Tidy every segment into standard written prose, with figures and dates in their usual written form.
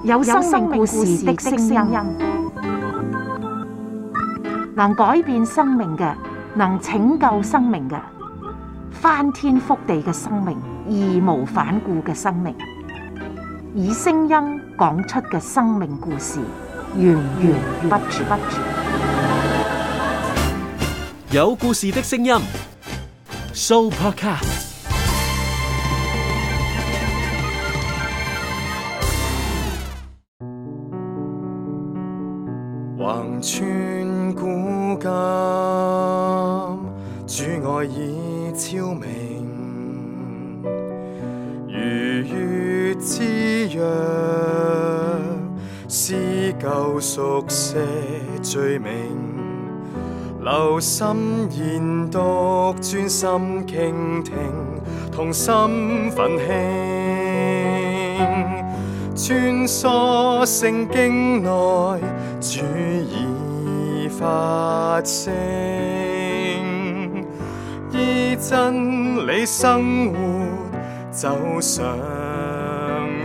有生命故事的聲音，能改變生命嘅，能拯救生命嘅，翻天覆地嘅生命，義無反顧嘅生命，以聲音講出嘅生命故事，源源不絕。有故事的聲音 ，Sooopodcast。橫穿古今，主愛已超明，如月之約，撕舊熟寫罪名，留心研讀，專心傾聽，同心奮興，穿梭聖經內，主已發聲，依真理生活，走上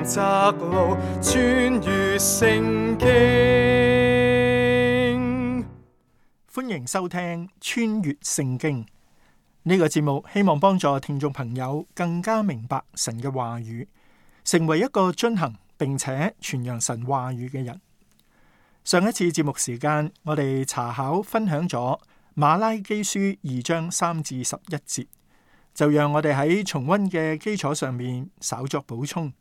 窄路，穿越聖經。歡迎收聽穿越聖經呢個節目，希望幫助聽眾朋友更加明白神嘅話語，成為一個遵行並且傳揚神話語嘅人。上一次節目時間，我哋查考分享咗馬拉基書2章3至11節，就讓我哋喺重溫嘅基礎上面稍作補充，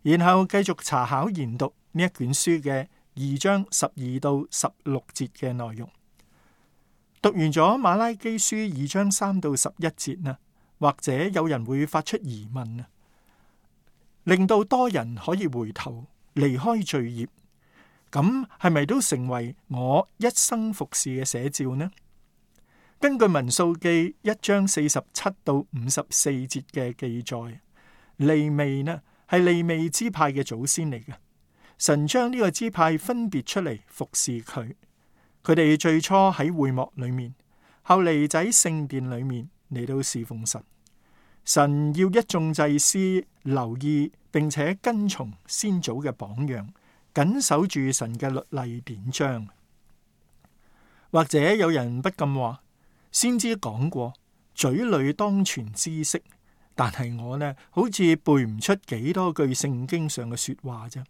然後繼續查考研讀呢一卷書嘅2章12到16節嘅內容。讀完咗馬拉基書2章3到11節啊，或者有人會發出疑問啊，令到多人可以回頭離開罪孽。咁係咪都成為我一生服侍嘅寫照呢？根據民數記1章47到54節嘅記載，利未呢係利未支派嘅祖先嚟嘅。神將呢個支派分別出嚟服侍佢。佢哋最初喺會幕裏面，後嚟就喺聖殿裏面嚟到侍奉神。神要一眾祭司留意並且跟從先祖嘅榜樣，緊守住神嘅律例典章。或者有人不禁話，先知講過嘴裏當存知識，但係我呢好似背唔出幾多句聖經上嘅說話啫。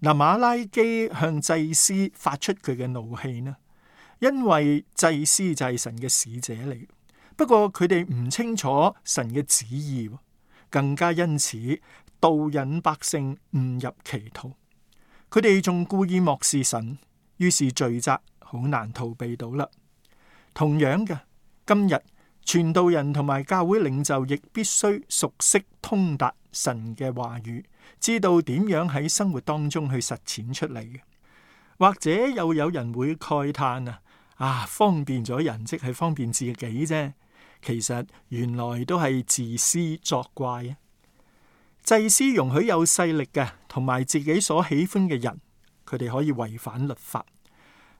嗱，馬拉基向祭司發出佢嘅怒氣呢，因為祭司就係神嘅使者嚟，不過佢哋唔清楚神嘅旨意，更加因此導引百姓誤入歧途。佢哋仲故意漠視神，於是罪責好難逃避到啦。同樣嘅，今日傳道人同埋教會領袖亦必須熟悉通達神嘅話語，知道點樣喺生活當中去實踐出嚟嘅。或者又有人會慨嘆方便咗人即係方便自己啫，其實原來都係自私作怪啊！祭司容許有勢力嘅同埋自己所喜歡嘅人，佢哋可以違反律法。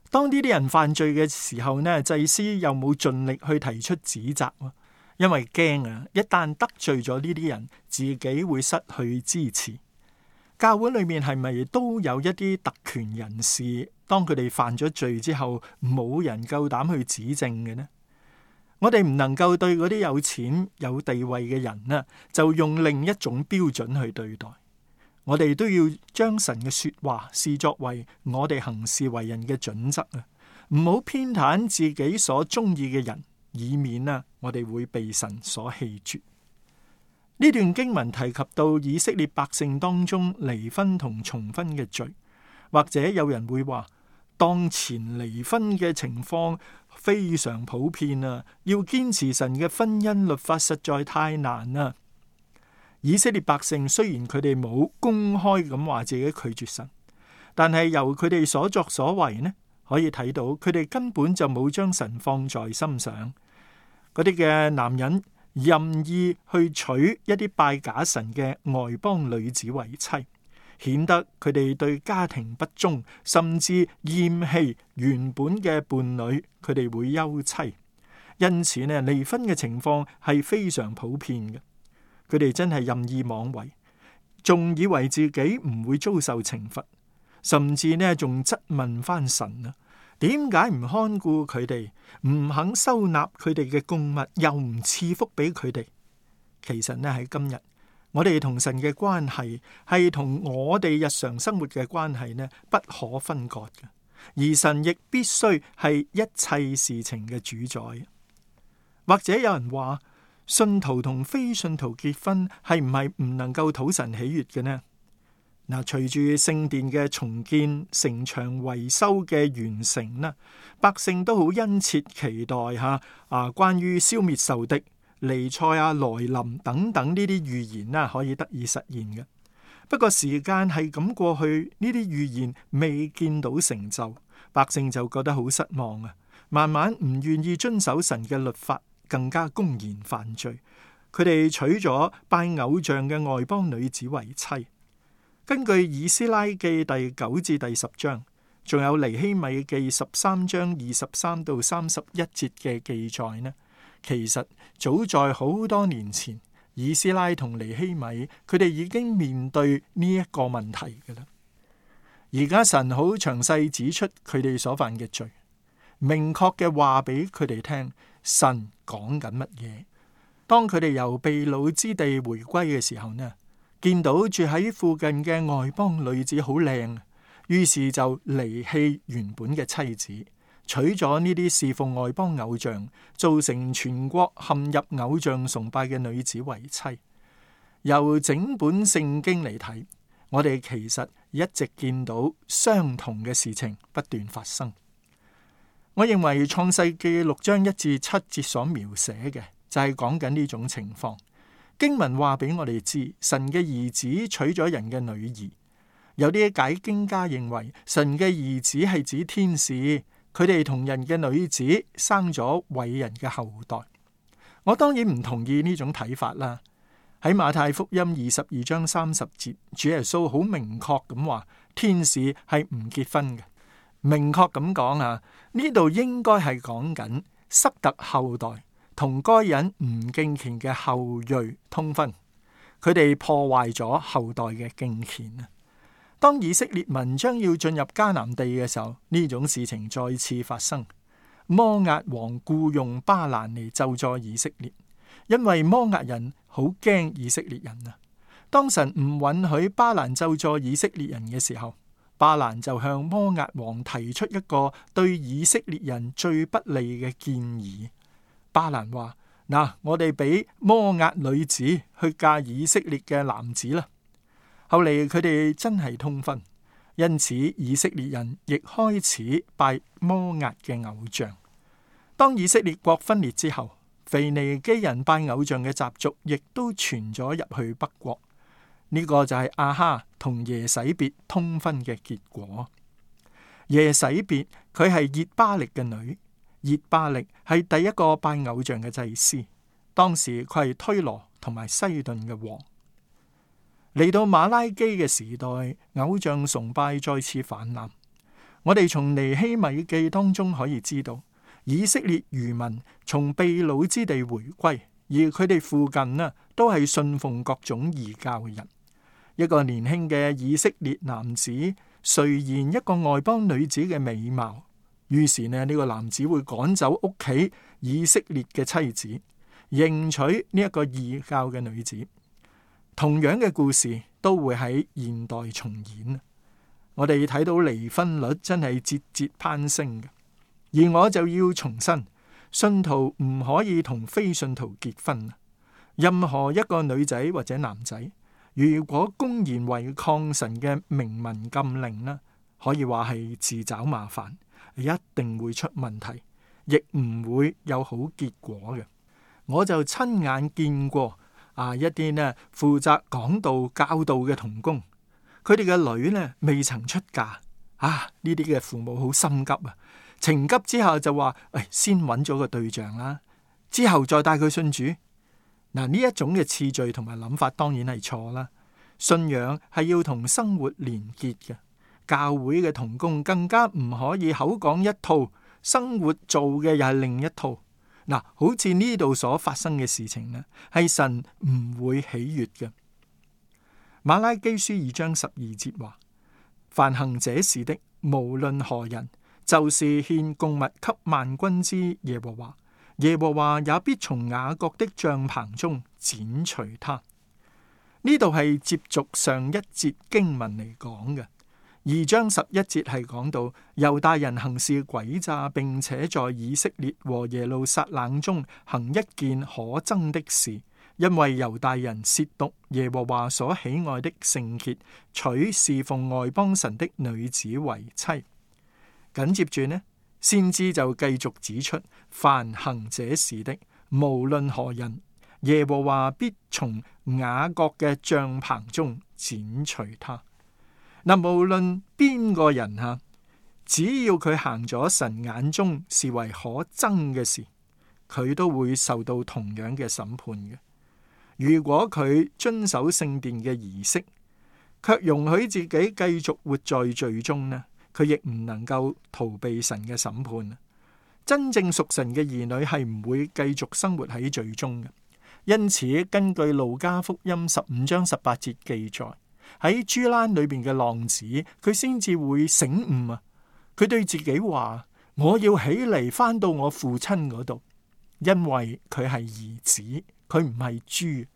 當呢啲人犯罪嘅時候呢，祭司又冇盡力去提出指責，因為驚一旦得罪咗呢啲人，自己會失去支持。教會裏面係咪都有一啲特權人士，當佢哋犯咗罪之後，冇人夠膽去指證嘅呢？我哋唔能夠對嗰啲有錢有地位嘅人就用另一種標準去對待。我哋都要將神嘅說話視作為我哋行事為人嘅準則啊！唔好偏袒自己所中意嘅人，以免我哋會被神所棄絕。呢段經文提及到以色列百姓當中離婚同重婚嘅罪，或者有人會話，當前離婚嘅情況非常普遍啊！要堅持神嘅婚姻律法實在太難啦。以色列百姓雖然佢哋冇公開咁話自己拒絕神，但係由佢哋所作所為呢，可以睇到佢哋根本就冇將神放在心上。嗰啲嘅男人任意去娶一啲拜假神嘅外邦女子為妻，顯得佢哋對家庭不忠，甚至厭棄原本嘅伴侶，佢哋會休妻。因此呢，離婚嘅情況係非常普遍嘅。佢哋真係任意妄為，仲以為自己唔會遭受懲罰，甚至呢仲質問翻神啊，點解唔看顧佢哋，唔肯收納佢哋嘅供物，又唔賜福俾佢哋？其實呢喺今日，我哋同神嘅關係係同我哋日常生活嘅關係呢不可分割嘅，而神亦必須係一切事情嘅主宰。或者有人話，信徒同非信徒結婚係唔係唔能夠討神喜悅嘅呢？嗱，隨住聖殿嘅重建、城牆維修嘅完成啦，百姓都好殷切期待關於消滅仇敵、彌賽亞來臨等等呢啲預言啦，可以得以實現嘅。不過時間係咁過去，呢啲預言未見到成就，百姓就覺得好失望啊！慢慢唔願意遵守神嘅律法，更加公然犯罪。佢哋娶咗拜偶像嘅外邦女子為妻。根據以斯拉記第9至第10章，仲有尼希米記13章23到31節嘅記載呢，其實早在好多年前，以斯拉同尼希米佢哋已經面對呢一個問題㗎喇。而家神好詳細指出佢哋所犯嘅罪，明確嘅話俾佢哋聽，神講緊乜嘢。當佢哋由被擄之地回歸嘅時候呢，見到住喺附近嘅外邦女子好靚，於是就離棄原本嘅妻子，娶咗呢啲侍奉外邦偶像，造成全國陷入偶像崇拜嘅女子為妻。由整本聖經嚟睇，我哋其實一直見到相同嘅事情不斷發生。我認為創世記6章1至7節所描寫嘅就係講緊呢種情況。經文話俾我哋知，神嘅兒子娶咗人嘅女兒。有啲解經家認為神嘅兒子係指天使，佢哋同人嘅女子生咗偉人嘅後代。我當然唔同意呢種睇法啦。喺馬太福音22章30節，主耶穌好明確咁話，天使係唔結婚嘅。明確咁講啊，呢度應該係講緊塞特後代同該隱唔敬虔嘅後裔通婚，佢哋破壞咗後代嘅敬虔啊！當以色列民將要進入迦南地嘅時候，呢種事情再次發生。摩押王僱用巴蘭嚟咒詛以色列，因為摩押人好驚以色列人啊！當神唔允許巴蘭咒詛以色列人嘅時候，巴蘭就向摩押王提出一個對以色列人最不利嘅建議。巴蘭話：我哋俾摩押女子去嫁以色列嘅男子啦。後嚟佢哋真係通婚，因此以色列人亦開始拜摩押嘅偶像。當以色列國分裂之後，腓尼基人拜偶像嘅習俗亦都傳咗入去北國。呢個就係亞哈同耶洗別通婚嘅結果。耶洗別佢係熱巴力嘅女。熱巴力係第一個拜偶像嘅祭司，當時佢係推羅同埋西頓嘅王。嚟到馬拉基嘅時代，偶像崇拜再次氾濫。我哋從尼希米記當中可以知道，以色列餘民從被擄之地回歸，而佢哋附近都係信奉各種異教嘅人。一個年輕嘅以色列男子垂涎一個外邦女子嘅美貌。於是呢個男子會趕走屋企以色列嘅妻子，迎娶呢一個異教嘅女子。同樣嘅故事都會喺現代重演。我哋睇到離婚率真係節節攀升嘅，而我就要重申，信徒唔可以同非信徒結婚。任何一個女仔或者男仔，如果公然違抗神嘅明文禁令呢，可以話係自找麻煩。一定會出問題，亦唔會有好結果嘅。我就親眼見過一啲呢負責講道教導嘅同工，佢哋嘅女呢未曾出嫁呢啲嘅父母好心急啊，情急之下就話先揾咗個對象啦，之後再帶佢信主。呢一種嘅次序同埋諗法當然係錯啦。信仰係要同生活連結嘅。教會嘅同工更加唔可以口講一套，生活做嘅又係另一套。好似呢度所發生嘅事情呢，係神唔會喜悅嘅。馬拉基書2章12節話：凡行這事的，無論何人，就是獻供物給萬軍之耶和華，耶和華也必從雅各的帳棚中剪除他。呢度係接續上一節經文嚟講嘅。2章11節係講到猶大人行事詭詐，並且在以色列和耶路撒冷中行一件可憎的事，因為猶大人褻瀆耶和華所喜愛的聖潔，娶侍奉外邦神的女子為妻。緊接住呢，先知就繼續指出，凡行這事的，無論何人，耶和華必從雅各嘅帳棚中剪除他。嗱，無論邊個人吓，只要佢行咗神眼中視為可憎嘅事，佢都會受到同樣嘅審判嘅。如果佢遵守聖殿嘅儀式，卻容許自己繼續活在罪中呢，佢亦唔能夠逃避神嘅審判。真正屬神嘅兒女係唔會繼續生活喺罪中嘅。因此，根據路加福音15章18節記載，喺豬欄裏邊嘅浪子，佢先至會醒悟啊！佢對自己話：我要起嚟返到我父親嗰度，因為佢係兒子，佢唔係豬，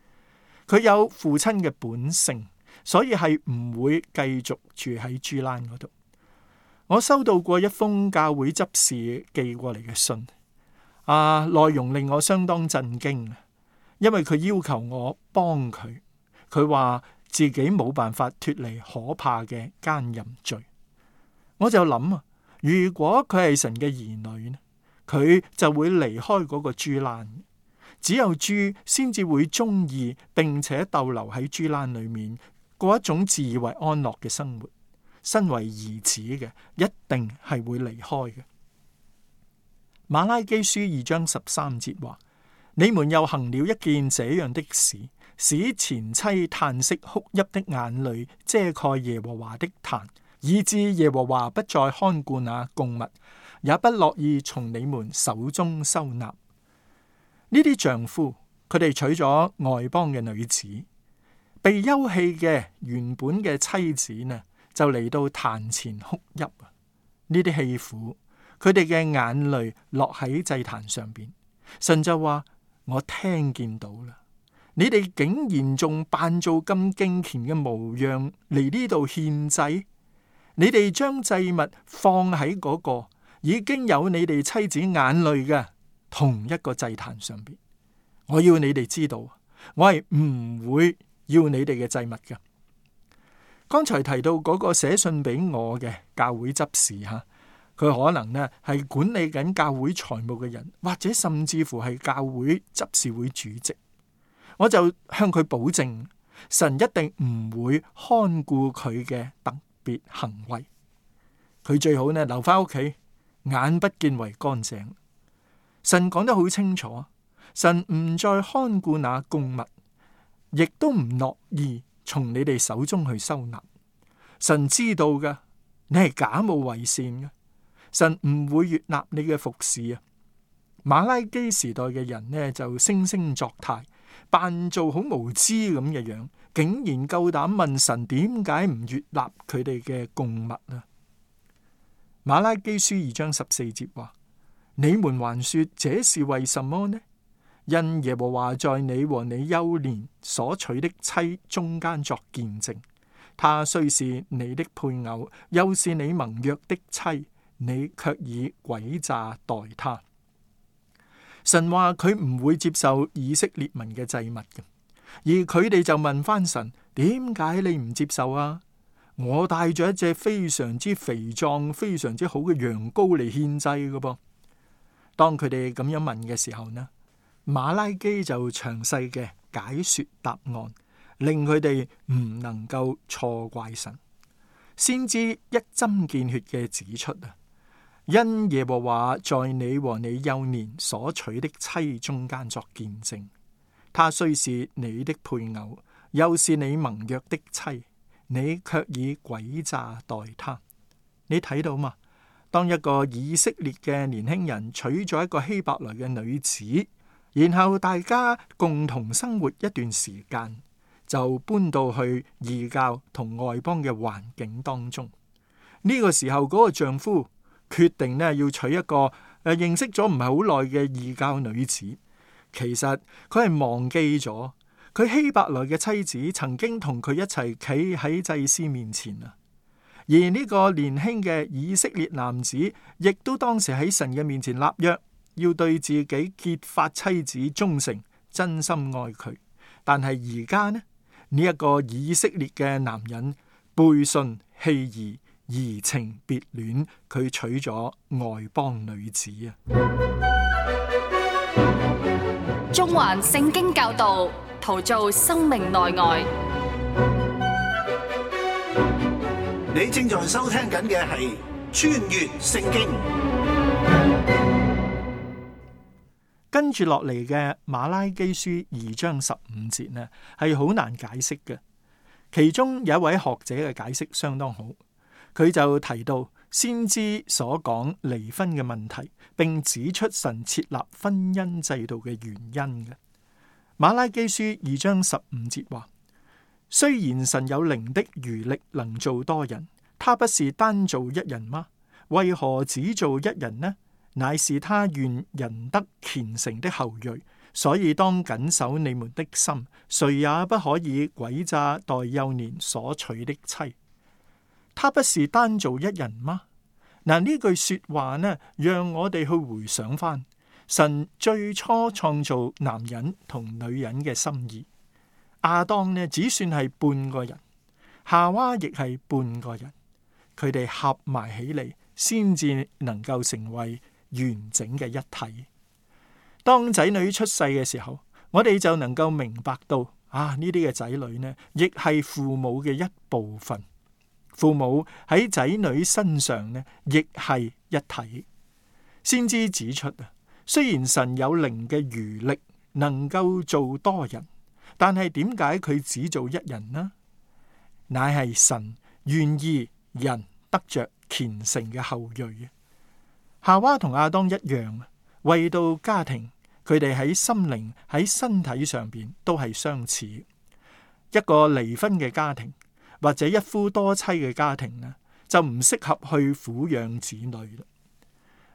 佢有父親嘅本性，所以係唔會繼續住喺豬欄嗰度。我收到過一封教會執事寄過嚟嘅信，內容令我相當震驚，因為佢要求我幫佢，佢話自己冇辦法脫離可怕嘅奸淫罪。我就諗啊，如果佢係神嘅兒女呢，佢就會離開嗰個豬欄。只有豬先至會中意並且逗留喺豬欄裏面，過一種自以為安樂嘅生活。身為兒子嘅，一定係會離開嘅。馬拉基書2章13節話：你們又行了一件這樣的事，使前妻嘆息哭泣的眼淚遮蓋耶和華的壇，以致耶和華不再看顧那供物，也不樂意從你們手中收納。呢啲丈夫，佢哋娶咗外邦嘅女子，被休棄嘅原本嘅妻子呢，就嚟到壇前哭泣啊！呢啲棄婦，佢哋嘅眼淚落喺祭壇上邊，神就話：我聽見到啦，你哋竟然仲扮做咁敬虔嘅模樣嚟呢度獻祭，你哋將祭物放喺嗰個已經有你哋妻子眼淚嘅同一個祭壇上邊。我要你哋知道，我係唔會要你哋嘅祭物嘅。剛才提到嗰個寫信俾我嘅教會執事吓，佢可能呢係管理緊教會財務嘅人，或者甚至乎係教會執事會主席。我就向佢保證，神一定唔會看顧佢嘅特別行為。佢最好呢留翻屋企，眼不見為乾淨。神講得好清楚，神唔再看顧那供物，亦都唔樂意從你哋手中去收納。神知道㗎，你係假冒為善嘅，神唔會悅納你嘅服侍啊。馬拉基時代嘅人呢，就惺惺作態，扮做好無知咁嘅樣，竟然夠膽問神點解唔悅納佢哋嘅供物啊。馬拉基書2章14節話：你們還說這是為什麼呢？因耶和華在你和你幼年所娶的妻中間作見證，他雖是你的配偶，又是你盟約的妻，你卻以詭詐待他。神話佢唔會接受以色列民嘅祭物嘅，而佢哋就問翻神：點解你唔接受啊？我帶咗一隻非常之肥壯、非常之好嘅羊羔嚟獻祭嘅噃。當佢哋咁樣問嘅時候呢，馬拉基就詳細嘅解說答案，令佢哋唔能夠錯怪神。先知一針見血嘅指出啊，因耶和華在你和你幼年所娶的妻中間作見證，他雖是你的配偶，又是你盟約的妻，你卻以詭詐待他。你睇到嘛？當一個以色列嘅年輕人娶咗一個希伯來嘅女子，然後大家共同生活一段時間，就搬到去異教同外邦嘅環境當中。呢個時候，嗰個丈夫決定呢要娶一個認識咗唔係好耐嘅異教女子。其實佢係忘記咗佢希伯來嘅妻子曾經同佢一齊企喺祭司面前啊。而呢個年輕嘅以色列男子，亦都當時喺神嘅面前立約，要對自己結髮妻子忠誠，真心愛佢。但係而家呢一個以色列嘅男人背信棄義，移情別戀，佢娶咗外邦女子啊！中環聖經教導，陶造生命內外。你正在收聽緊嘅係穿越聖經。跟住落嚟嘅馬拉基書2章15節呢，係好難解釋嘅。其中有一位學者嘅解釋相當好，佢就提到先知所講離婚嘅問題，並指出神設立婚姻制度嘅原因嘅。馬拉基書2章15節話：雖然神有靈的餘力能做多人，他不是單做一人嗎？為何只做一人呢？乃是他願人得虔誠的後裔，所以當謹守你們的心，誰也不可以詭詐待幼年所娶的妻。他不是單做一人嗎？嗱，呢句說話呢，讓我哋去回想翻神最初創造男人同女人嘅心意。亞當呢，只算係半個人，夏娃亦係半個人，佢哋合埋起嚟，先至能夠成為完整嘅一體。當仔女出世嘅時候，我哋就能夠明白到呢啲嘅仔女呢，亦係父母嘅一部分。父母喺仔女身上呢，亦係一體。先知指出雖然神有靈嘅餘力，能夠做多人，但係點解佢只做一人呢？乃係神願意人得着虔誠嘅後裔。夏娃同亞當一樣，為到家庭，佢哋喺心靈、喺身體上邊都係相似。一個離婚嘅家庭或者一夫多妻嘅家庭呢，就唔適合去撫養子女啦。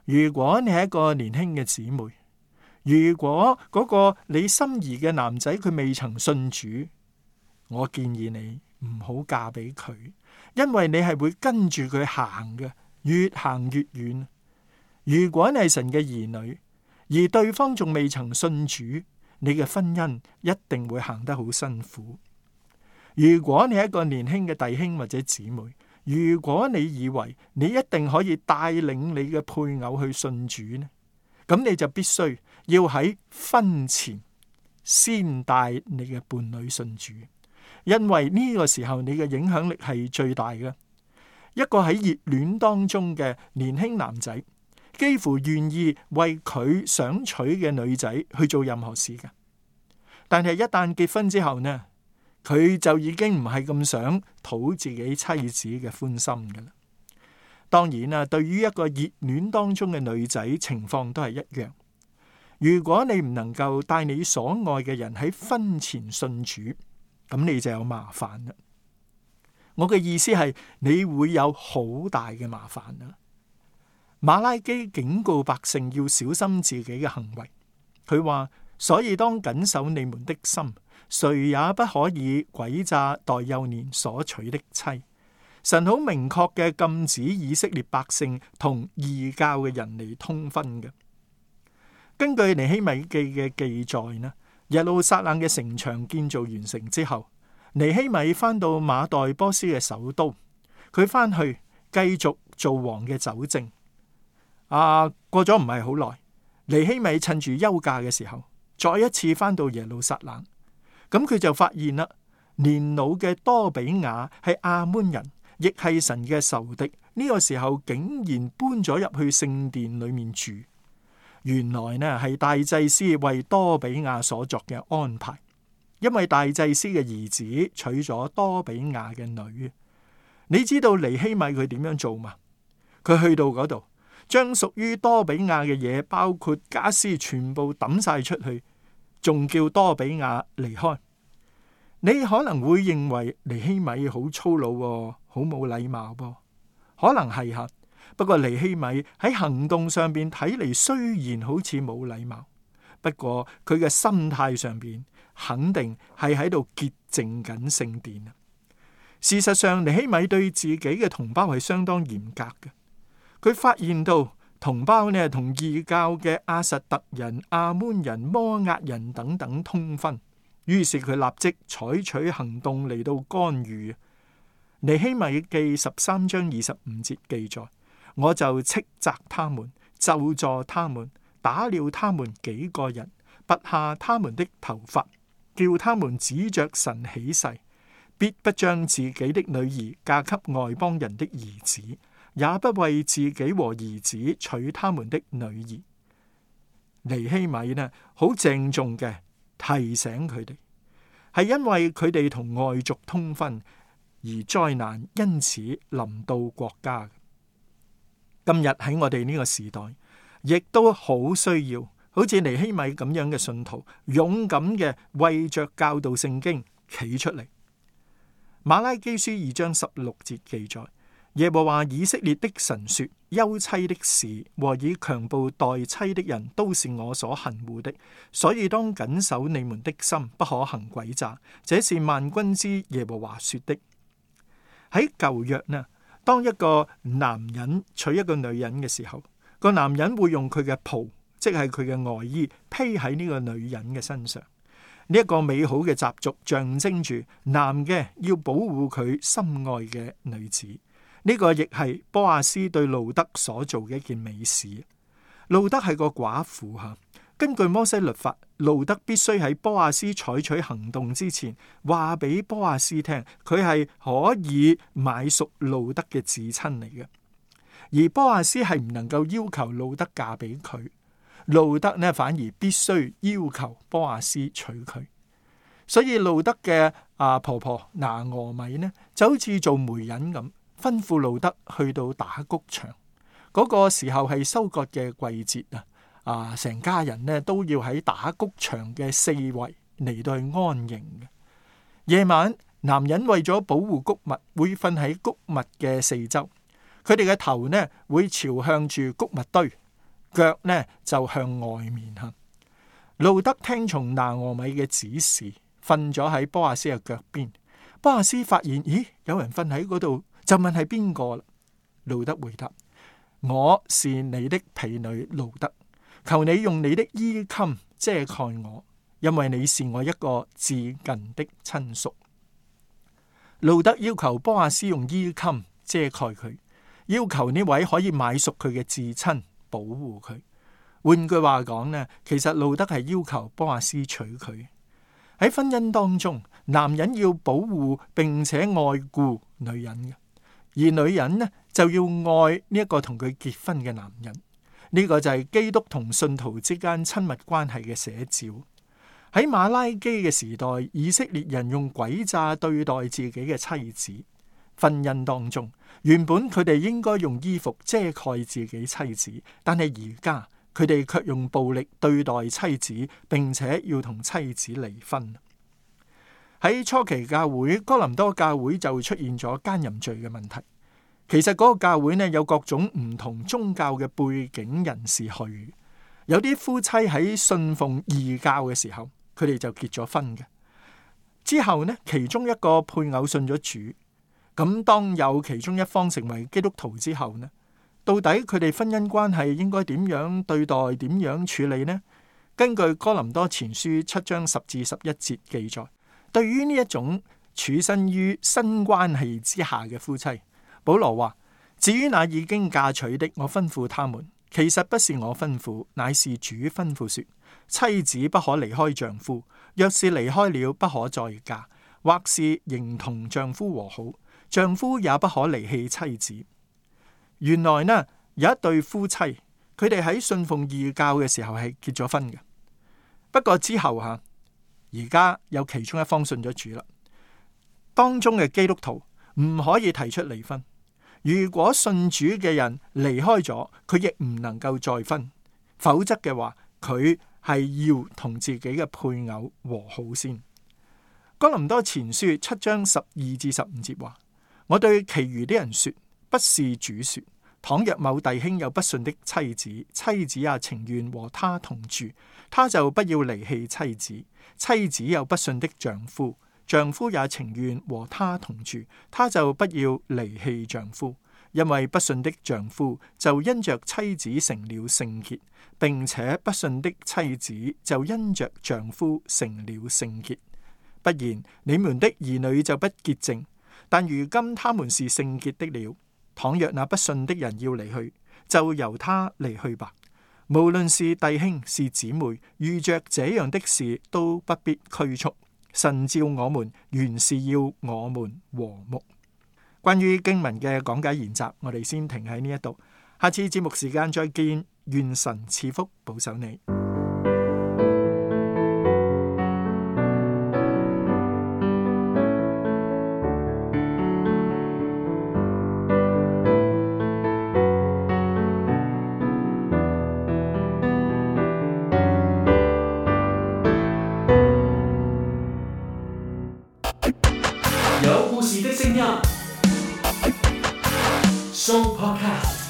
如果你係一個年輕嘅姊妹，如果嗰個你心儀嘅男仔佢未曾信主，我建議你唔好嫁俾佢，因為你係會跟住佢行嘅，越行越遠。如果你係神嘅兒女，而對方仲未曾信主，你嘅婚姻一定會行得好辛苦。如果你係一個年輕嘅弟兄或者姊妹，如果你以為你一定可以帶領你嘅配偶去信主呢，咁你就必須要喺婚前先帶你嘅伴侶信主，因為呢個時候你嘅影響力係最大嘅。一個喺熱戀當中嘅年輕男仔，幾乎願意為佢想娶嘅女仔去做任何事嘅，但係一旦結婚之後呢，佢就已經唔係咁想討自己妻子嘅歡心㗎啦。當然啦，對於一個熱戀當中嘅女仔，情況都係一樣。如果你唔能夠帶你所愛嘅人喺婚前信主，咁你就有麻煩啦。我嘅意思係，你會有好大嘅麻煩啦。馬拉基警告百姓要小心自己嘅行為，佢話：所以當謹守你們的心，誰也不可以詭詐待幼年所娶的妻。神好明確嘅禁止以色列百姓同異教嘅人嚟通婚嘅。根據尼希米記嘅記載呢，耶路撒冷嘅城牆建造完成之後，尼希米翻到馬代波斯嘅首都，佢翻去繼續做王嘅酒政。過咗唔係好耐，尼希米趁住休假嘅時候，再一次翻到耶路撒冷，咁佢就發現啦，年老嘅多比亞係亞捫人，亦係神嘅仇敵。呢個時候竟然搬咗入去聖殿裏面住，原來呢係大祭司為多比亞所作嘅安排，因為大祭司嘅兒子娶咗多比亞嘅女。你知道尼希米佢點樣做嘛？佢去到嗰度，將屬於多比亞嘅嘢，包括家私，全部抌晒出去，仲叫多比亞離開。你可能會認為尼希米好粗魯，好冇禮貌噃，可能係吓。不過尼希米喺行動上邊睇嚟，雖然好似冇禮貌，不過佢嘅心態上邊肯定係喺度潔淨緊聖殿。事實上，尼希米對自己嘅同胞係相當嚴格嘅。佢發現到同胞呢同異教嘅亞實突人、亞捫人、摩押人等等通婚，於是佢立即採取行動嚟到干預。尼希米記13章25節記載：我就斥責他們，咒詛他們，打了他們幾個人，拔下他們的頭髮，叫他們指着神起誓，必不將自己的女兒嫁給外邦人的兒子，也不為自己和兒子娶他們的女兒。尼希米呢，好鄭重嘅提醒佢哋，係因為佢哋同外族通婚，而災難因此臨到國家。今日喺我哋呢個時代，亦都好需要好似尼希米咁樣嘅信徒，勇敢嘅為着教導聖經企出嚟。馬拉基書2章16節記載：耶和華以色列的神說，休妻的事和以強暴待妻的人都是我所恨惡的，所以當謹守你們的心，不可行詭詐。這是萬軍之耶和華說的。喺舊約呢，當一個男人娶一個女人嘅時候，個男人會用佢嘅袍，即係佢嘅外衣，披喺呢個女人嘅身上。呢一個美好嘅習俗象徵住男嘅要保護佢心愛嘅女子。呢個亦係波阿斯對路德所做嘅一件美事。路德係個寡婦吓，根據摩西律法，路德必須喺波阿斯採取行動之前，話俾波阿斯聽，佢係可以買贖路德嘅至親嚟嘅。而波阿斯係唔能夠要求路德嫁俾佢。路德呢，反而必須要求波阿斯娶佢，所以路德嘅婆婆拿俄米呢，就好似做媒人咁，吩咐路德去到打穀場。嗰個時候係收割嘅季節啊，成家人呢都要喺打穀場嘅四圍嚟到去安營嘅。夜晚，男人為咗保護穀物，會瞓喺穀物嘅四周，佢哋嘅頭呢會朝向住穀物堆，腳呢就向外面行。路德聽從拿俄米嘅指示，瞓咗喺波阿斯嘅腳邊。波阿斯發現，咦，有人瞓喺嗰度，就問係邊個啦。路德回答：我是你的婢女路德，求你用你的衣襟遮蓋我，因為你是我一個至近的親屬。路德要求波阿斯用衣襟遮蓋佢，要求呢位可以買贖佢嘅至親保護佢。換句話講呢，其實路德係要求波阿斯娶佢。喺婚姻當中，男人要保護並且愛顧女人嘅，而女人呢就要愛呢一個同佢結婚嘅男人。呢個就係基督同信徒之間親密關係嘅寫照。喺馬拉基嘅時代，以色列人用詭詐對待自己嘅妻子。婚姻當中，原本佢哋應該用衣服遮蓋自己妻子，但係而家佢哋卻用暴力對待妻子，並且要同妻子離婚。喺初期教會，哥林多教會就出現咗姦淫罪嘅問題。其實嗰個教會呢，有各種唔同宗教嘅背景人士去，有啲夫妻喺信奉異教嘅時候，佢哋就結咗婚嘅。之後呢，其中一個配偶信咗主，咁當有其中一方成為基督徒之後呢，到底佢哋婚姻關係應該點樣對待，點樣處理呢？根據哥林多前書7章10至11節記載，對於呢一種處身於新關係之下嘅夫妻，保羅話：至於那已經嫁娶的，我吩咐他們，其實不是我吩咐，乃是主吩咐說，妻子不可離開丈夫，若是離開了，不可再嫁，或是仍同丈夫和好，丈夫也不可離棄妻子。原來呢，有一對夫妻，佢哋喺信奉異教嘅時候係結咗婚嘅。不過之後而家有其中一方信咗主啦。當中嘅基督徒唔可以提出離婚。如果信主嘅人離開咗，佢亦唔能夠再婚，否則嘅話，佢係要同自己嘅配偶和好先。哥林多前書7章12至15節話：我對其餘的人說，不是主說，倘若某弟兄有不信的妻子，妻子也情願和他同住，他就不要離棄妻子；妻子有不信的丈夫，丈夫也情願和他同住，他就不要離棄丈夫。因為不信的丈夫就因着妻子成了聖潔，並且不信的妻子就因着丈夫成了聖潔。不然，你們的兒女就不潔淨，但如今他們是聖潔的了。倘若那不信的人要離去，就由他離去吧。無論是弟兄是姊妹，遇着這樣的事都不必拘束。神召我們原是要我們和睦。關於經文嘅講解研習，我哋先停喺呢一度。下次節目時間再見，願神賜福保守你。有故事的聲音，Show Podcast。